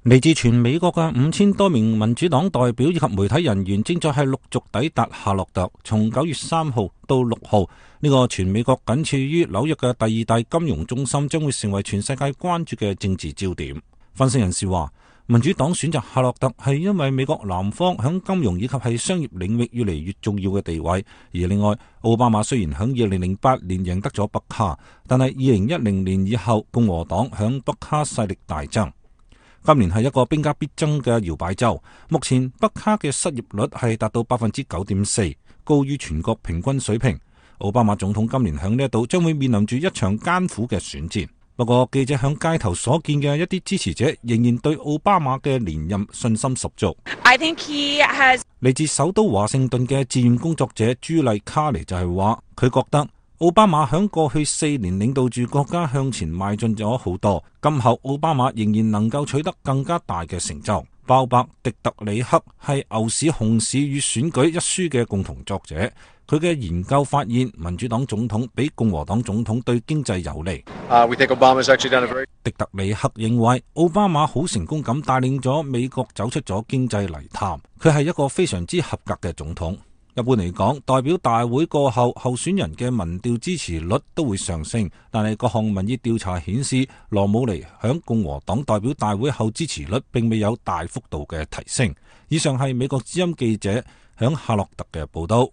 嚟自全美國嘅5000多名民主黨代表以及媒體人員正在係陸續抵達夏洛特，從9月3號到6號，呢個全美國僅次於紐約嘅第二大金融中心將會成為全世界關注嘅政治焦點。分析人士話，民主黨選擇夏洛特係因為美國南方響金融以及係商業領域越嚟越重要嘅地位，而另外奧巴馬雖然響2008年贏得咗北卡，但係2010年以後共和黨響北卡勢力大增。今年係一個兵家必爭嘅搖擺州，目前北卡嘅失業率係達到9.4%，高於全國平均水平。奧巴馬總統今年響呢一度將會面臨住一場艱苦嘅選戰。不過記者響街頭所見嘅一啲支持者仍然對奧巴馬嘅連任信心十足。嚟自首都華盛頓嘅志願工作者朱麗卡尼就係話，佢覺得奧巴馬響過去4年領導住國家向前邁進咗好多，今後奧巴馬仍然能夠取得更加大嘅成就。鮑伯迪特里克係牛市熊市與選舉一書嘅共同作者，佢嘅研究發現民主黨總統比共和黨總統對經濟有利。迪特里克認為奧巴馬好成功咁帶領咗美國走出咗經濟泥潭，佢係一個非常之合格嘅總統。一般嚟講，代表大會過後，候選人嘅民調支持率都會上升，但係各項民意調查顯示，羅姆尼響共和黨代表大會後支持率並未有大幅度嘅提升。以上係美國之音記者響夏洛特嘅報道。